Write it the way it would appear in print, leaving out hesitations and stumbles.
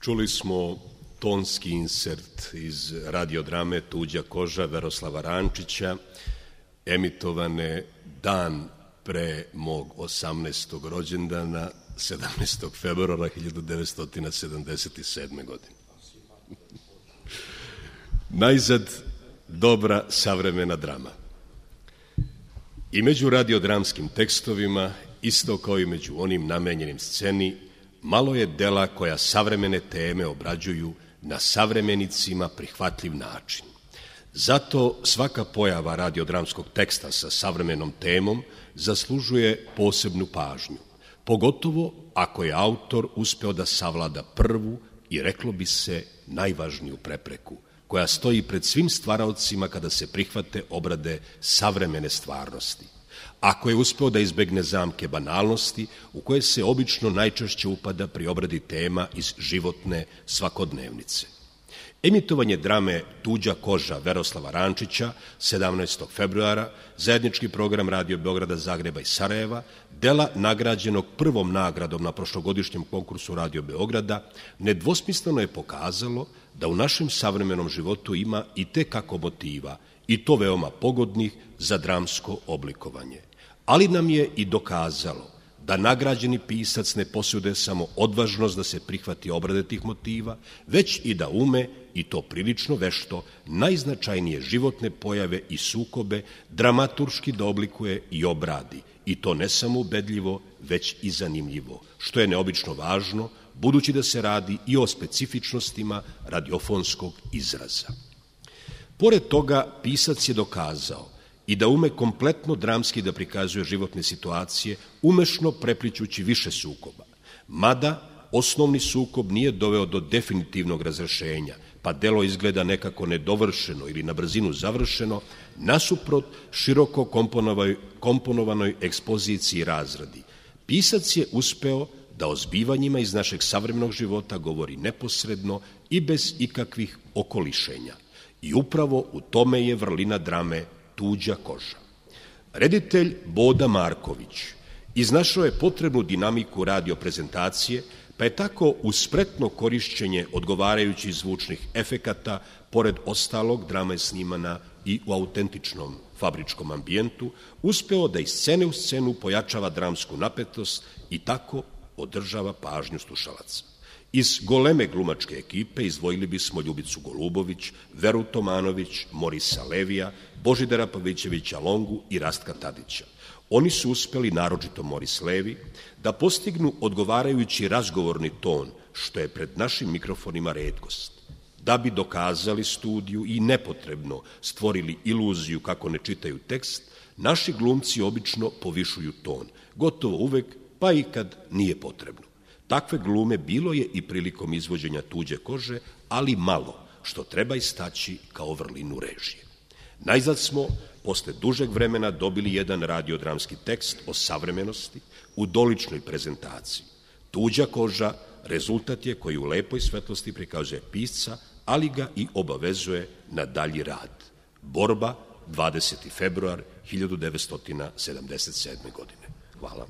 Čuli smo tonski insert iz radiodrame Tuđa koža Veroslava Rančića, emitovane dan pre mog 18. rođendana, 17. februara 1977. godine. Najzad dobra savremena drama. I među radiodramskim tekstovima, isto kao i među onim namenjenim sceni, malo je dela koja savremene teme obrađuju na savremenicima prihvatljiv način. Zato svaka pojava radiodramskog teksta sa savremenom temom zaslužuje posebnu pažnju, pogotovo ako je autor uspeo da savlada prvu i, reklo bi se, najvažniju prepreku, koja stoji pred svim stvaraocima kada se prihvate obrade savremene stvarnosti. Ako je uspeo da izbegne zamke banalnosti u koje se obično najčešće upada pri obradi tema iz životne svakodnevnice. Emitovanje drame Tuđa koža Veroslava Rančića 17. februara, zajednički program Radio Beograda, Zagreba i Sarajeva, dela nagrađenog prvom nagradom na prošlogodišnjem konkursu Radio Beograda, nedvosmisleno je pokazalo da u našem savremenom životu ima i tekako motiva, i to veoma pogodnih za dramsko oblikovanje. Ali nam je i dokazalo da nagrađeni pisac ne posjeduje samo odvažnost da se prihvati obrade tih motiva, već i da ume, i to prilično vešto, najznačajnije životne pojave i sukobe dramaturški da oblikuje i obradi, i to ne samo ubedljivo, već i zanimljivo, što je neobično važno, budući da se radi i o specifičnostima radiofonskog izraza. Pored toga, pisac je dokazao i da ume kompletno dramski da prikazuje životne situacije, umešno preplićući više sukoba. Mada, osnovni sukob nije doveo do definitivnog razrešenja, pa delo izgleda nekako nedovršeno ili na brzinu završeno, nasuprot široko komponovanoj ekspoziciji i razradi. Pisac je uspeo da o zbivanjima iz našeg savremenog života govori neposredno i bez ikakvih okolišenja. I upravo u tome je vrlina drame Tuđa koža. Reditelj Boda Marković iznašao je potrebnu dinamiku radio prezentacije, pa je tako uz spretno korišćenje odgovarajućih zvučnih efekata, pored ostalog, drama je snimana i u autentičnom fabričkom ambijentu, uspeo da iz scene u scenu pojačava dramsku napetost i tako održava pažnju slušalaca. Iz goleme glumačke ekipe izdvojili bismo Ljubicu Golubović, Veru Tomanović, Morisa Levija, Božidara Pavićevića Longu i Rastka Tadića. Oni su uspeli, naročito Moris Levi, da postignu odgovarajući razgovorni ton, što je pred našim mikrofonima retkost. Da bi dokazali studiju i nepotrebno stvorili iluziju kako ne čitaju tekst, naši glumci obično povišuju ton, gotovo uvek, pa i kad nije potrebno. Takve glume bilo je i prilikom izvođenja Tuđe kože, ali malo, što treba istaći kao vrlinu režije. Najzad smo, posle dužeg vremena, dobili jedan radiodramski tekst o savremenosti u doličnoj prezentaciji. Tuđa koža rezultat je koji u lepoj svetlosti prikazuje pisca, ali ga i obavezuje na dalji rad. Borba, 20. februar 1977. godine. Hvala.